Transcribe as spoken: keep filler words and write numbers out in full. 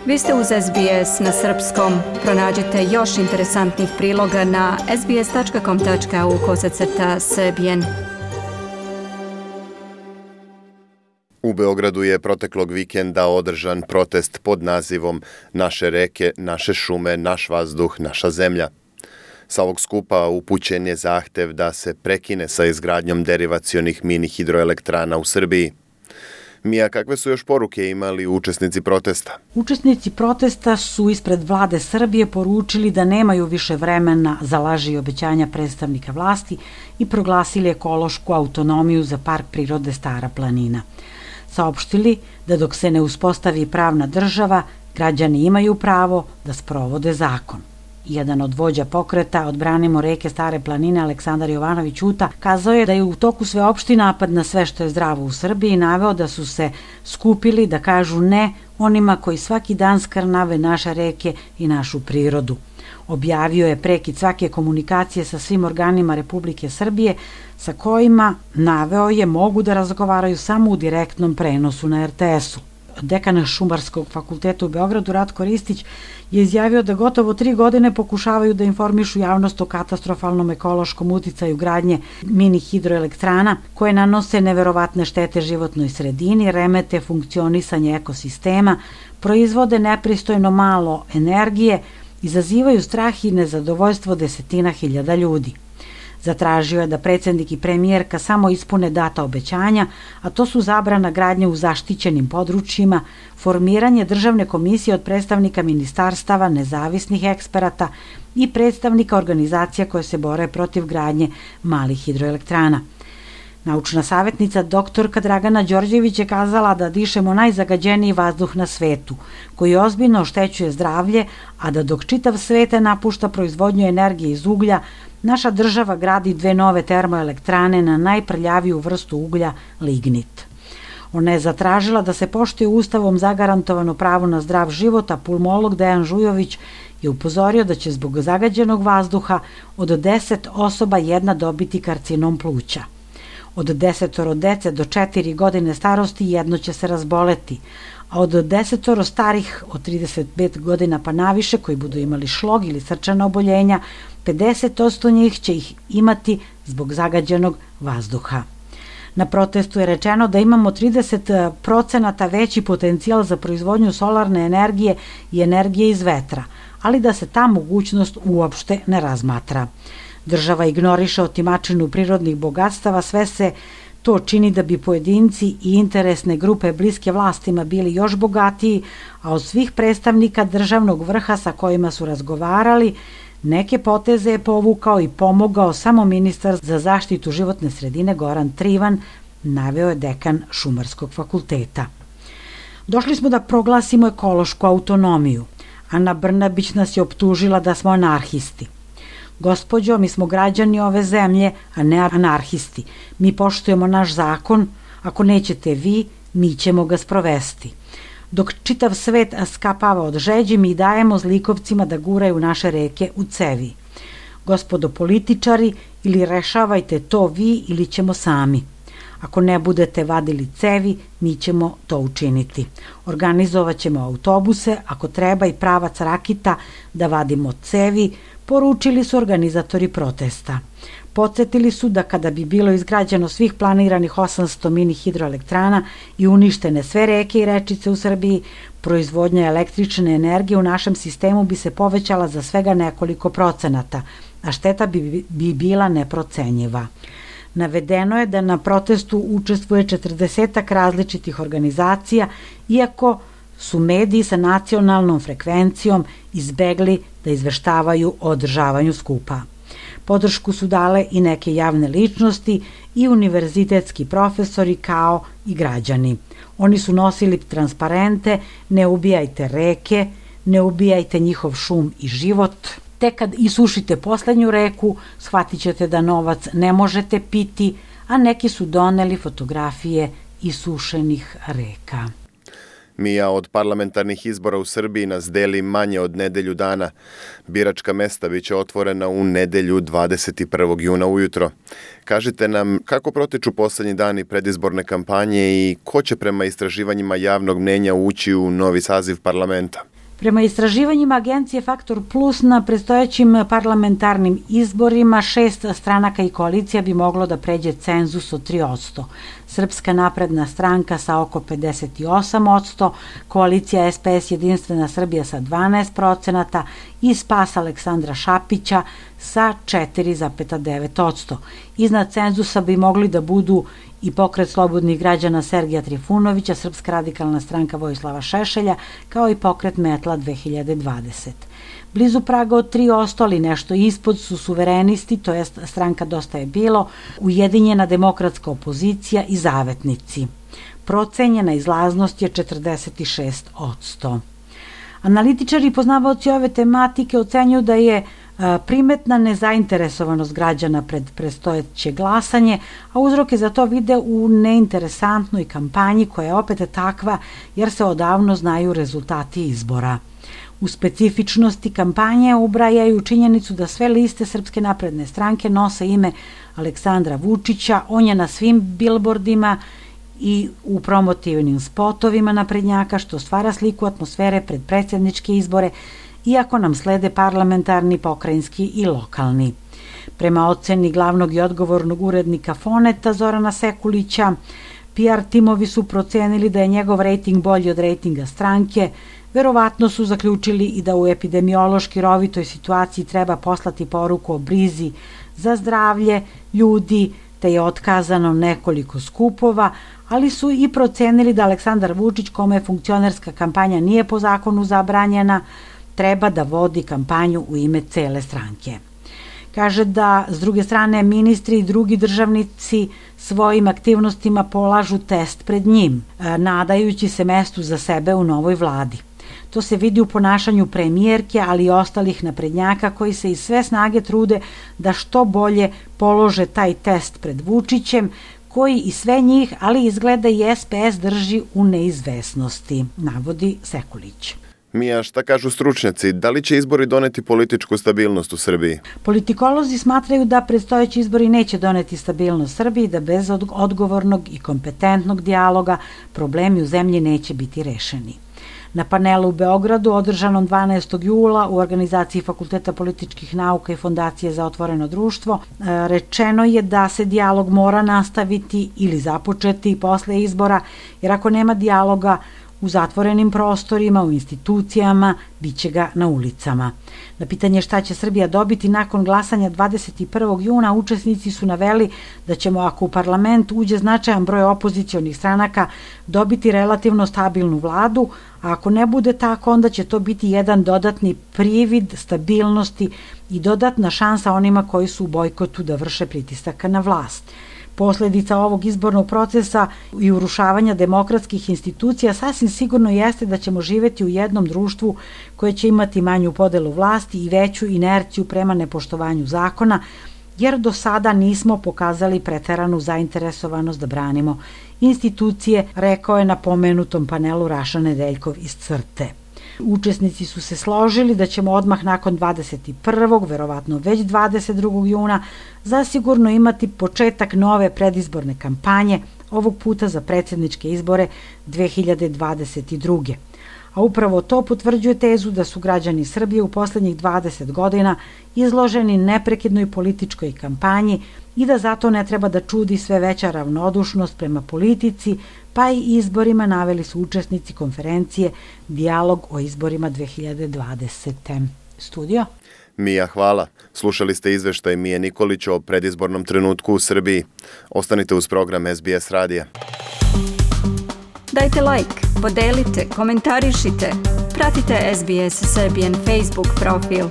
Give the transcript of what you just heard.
Vi ste uz S B S na srpskom. Pronađite još interesantnih priloga na sbs.com.au kosacrta srbijen. U Beogradu je proteklog vikenda održan protest pod nazivom Naše reke, naše šume, naš vazduh, naša zemlja. Sa ovog skupa upućen je zahtev da se prekine sa izgradnjom derivacionih mini hidroelektrana u Srbiji. Mija, kakve su još poruke imali učesnici protesta? Učesnici protesta su ispred vlade Srbije poručili da nemaju više vremena za laži i obećanja predstavnika vlasti i proglasili ekološku autonomiju za park prirode Stara planina. Saopštili da dok se ne uspostavi pravna država, građani imaju pravo da sprovode zakon. Jedan od vođa pokreta Odbranimo reke Stare planine, Aleksandar Jovanović Ćuta, kazao je da je u toku sveopšti napad na sve što je zdravo u Srbiji i naveo da su se skupili da kažu ne onima koji svaki dan skrnave naše reke i našu prirodu. Objavio je prekid svake komunikacije sa svim organima Republike Srbije sa kojima, naveo je, mogu da razgovaraju samo u direktnom prenosu na er te esu. Dekan Šumarskog fakulteta u Beogradu Ratko Ristić je izjavio da gotovo tri godine pokušavaju da informišu javnost o katastrofalnom ekološkom uticaju gradnje mini hidroelektrana koje nanose neverovatne štete životnoj sredini, remete funkcionisanje ekosistema, proizvode nepristojno malo energije, izazivaju strah i nezadovoljstvo desetina hiljada ljudi. Zatražio je da predsjednik i premijerka samo ispune data obećanja, a to su zabrana gradnje u zaštićenim područjima, formiranje državne komisije od predstavnika ministarstava, nezavisnih eksperata i predstavnika organizacija koje se bore protiv gradnje malih hidroelektrana. Naučna savjetnica doktorka Dragana Đorđević je kazala da dišemo najzagađeniji vazduh na svetu, koji ozbiljno oštećuje zdravlje, a da dok čitav svet napušta proizvodnju energije iz uglja, naša država gradi dve nove termoelektrane na najprljaviju vrstu uglja, lignit. Ona je zatražila da se poštuje Ustavom zagarantovano pravo na zdrav život, a pulmolog Dejan Žujović je upozorio da će zbog zagađenog vazduha od deset osoba jedna dobiti karcinom pluća. Od desetoro dece do četiri godine starosti jedno će se razboleti, a od desetoro starih od trideset pet godina pa naviše koji budu imali šlog ili srčana oboljenja, pedeset posto njih će ih imati zbog zagađenog vazduha. Na protestu je rečeno da imamo trideset procenata veći potencijal za proizvodnju solarne energije i energije iz vetra, ali da se ta mogućnost uopšte ne razmatra. Država ignoriše otimačinu prirodnih bogatstava, sve se to čini da bi pojedinci i interesne grupe bliske vlastima bili još bogatiji, a od svih predstavnika državnog vrha sa kojima su razgovarali, neke poteze je povukao i pomogao samo ministar za zaštitu životne sredine Goran Trivan, naveo je dekan Šumarskog fakulteta. Došli smo da proglasimo ekološku autonomiju. Ana Brnabić nas je optužila da smo anarhisti. Gospođo, mi smo građani ove zemlje, a ne anarhisti. Mi poštujemo naš zakon, ako nećete vi, mi ćemo ga sprovesti. Dok čitav svet skapava od žeđi, mi dajemo zlikovcima da guraju naše reke u cevi. Gospodo političari, ili rešavajte to vi ili ćemo sami. Ako ne budete vadili cevi, mi ćemo to učiniti. Organizovat ćemo autobuse, ako treba i pravac Rakita da vadimo cevi, poručili su organizatori protesta. Podsjetili su da kada bi bilo izgrađeno svih planiranih osamsto mini hidroelektrana i uništene sve reke i rečice u Srbiji, proizvodnja električne energije u našem sistemu bi se povećala za svega nekoliko procenata, a šteta bi, bi bila neprocenjiva. Navedeno je da na protestu učestvuje četrdesetak različitih organizacija, iako su mediji sa nacionalnom frekvencijom izbegli da izveštavaju o održavanju skupa. Podršku su dale i neke javne ličnosti i univerzitetski profesori kao i građani. Oni su nosili transparente "Ne ubijajte reke, ne ubijajte njihov šum i život. Tek kad isušite poslednju reku, shvatit ćete da novac ne možete piti", a neki su doneli fotografije isušenih reka. Mija, od parlamentarnih izbora u Srbiji nas deli manje od nedelju dana. Biračka mesta biće otvorena u nedelju dvadeset prvog juna ujutro. Kažite nam kako proteču poslednji dani predizborne kampanje i ko će prema istraživanjima javnog mnjenja ući u novi saziv parlamenta? Prema istraživanjima agencije Faktor Plus na predstojećim parlamentarnim izborima šest stranaka i koalicija bi moglo da pređe cenzus od tri posto. Srpska napredna stranka sa oko pedeset osam posto, koalicija S P S Jedinstvena Srbija sa dvanaest procenata i Spas Aleksandra Šapića sa četiri zarez devet posto. Iznad cenzusa bi mogli da budu i Pokret slobodnih građana Sergeja Trifunovića, Srpska radikalna stranka Vojislava Šešelja, kao i Pokret Metla dve hiljade dvadesete. Blizu praga od tri posto, ali nešto ispod su suverenisti, to jest stranka Dosta je bilo, Ujedinjena demokratska opozicija i Zavetnici. Procenjena izlaznost je četrdeset šest posto. Analitičari i poznavaoci ove tematike ocenjuju da je primetna nezainteresovanost građana pred predstojeće glasanje, a uzroke za to vide u neinteresantnoj kampanji koja je opet takva jer se odavno znaju rezultati izbora. U specifičnosti kampanje ubrajaju činjenicu da sve liste Srpske napredne stranke nose ime Aleksandra Vučića, on je na svim bilbordima i u promotivnim spotovima naprednjaka, što stvara sliku atmosfere pred predsjedničke izbore, iako nam slede parlamentarni, pokrajinski i lokalni. Prema oceni glavnog i odgovornog urednika Foneta Zorana Sekulića, P R timovi su procenili da je njegov rejting bolji od rejtinga stranke, verovatno su zaključili i da u epidemiološki rovitoj situaciji treba poslati poruku o brizi za zdravlje ljudi, te je otkazano nekoliko skupova, ali su i procenili da Aleksandar Vučić, kome funkcionerska kampanja nije po zakonu zabranjena, treba da vodi kampanju u ime cele stranke. Kaže da, s druge strane, ministri i drugi državnici svojim aktivnostima polažu test pred njim, nadajući se mestu za sebe u novoj vladi. To se vidi u ponašanju premijerke, ali i ostalih naprednjaka koji se iz sve snage trude da što bolje polože taj test pred Vučićem, koji i sve njih, ali izgleda i S P S drži u neizvesnosti, navodi Sekulić. Mija, šta kažu stručnjaci? Da li će izbori doneti političku stabilnost u Srbiji? Politikolozi smatraju da predstojeći izbori neće doneti stabilnost Srbiji, da bez odgovornog i kompetentnog dijaloga problemi u zemlji neće biti rešeni. Na panelu u Beogradu, održanom dvanaestog jula u organizaciji Fakulteta političkih nauka i Fondacije za otvoreno društvo, rečeno je da se dijalog mora nastaviti ili započeti posle izbora, jer ako nema dijaloga u zatvorenim prostorima, u institucijama, bit će ga na ulicama. Na pitanje šta će Srbija dobiti nakon glasanja dvadeset prvog juna, učesnici su naveli da ćemo, ako u parlament uđe značajan broj opozicionih stranaka, dobiti relativno stabilnu vladu, a ako ne bude tako, onda će to biti jedan dodatni privid stabilnosti i dodatna šansa onima koji su u bojkotu da vrše pritisak na vlast. Posledica ovog izbornog procesa i urušavanja demokratskih institucija sasvim sigurno jeste da ćemo živeti u jednom društvu koje će imati manju podelu vlasti i veću inerciju prema nepoštovanju zakona, jer do sada nismo pokazali preteranu zainteresovanost da branimo institucije, rekao je na pomenutom panelu Raša Nedeljkov iz Crte. Učesnici su se složili da ćemo odmah nakon dvadeset prvog, verovatno već dvadeset drugog juna, zasigurno imati početak nove predizborne kampanje, ovog puta za predsjedničke izbore dve hiljade dvadeset druge. A upravo to potvrđuje tezu da su građani Srbije u poslednjih dvadeset godina izloženi neprekidnoj političkoj kampanji i da zato ne treba da čudi sve veća ravnodušnost prema politici, pa i izborima, naveli su učesnici konferencije Dijalog o izborima dve hiljade dvadesete. Studio? Mija, hvala. Slušali ste izveštaj Mije Nikolić o predizbornom trenutku u Srbiji. Ostanite uz program S B S radija. Dajte like, podelite, komentarišite, pratite S B S Serbian Facebook profil.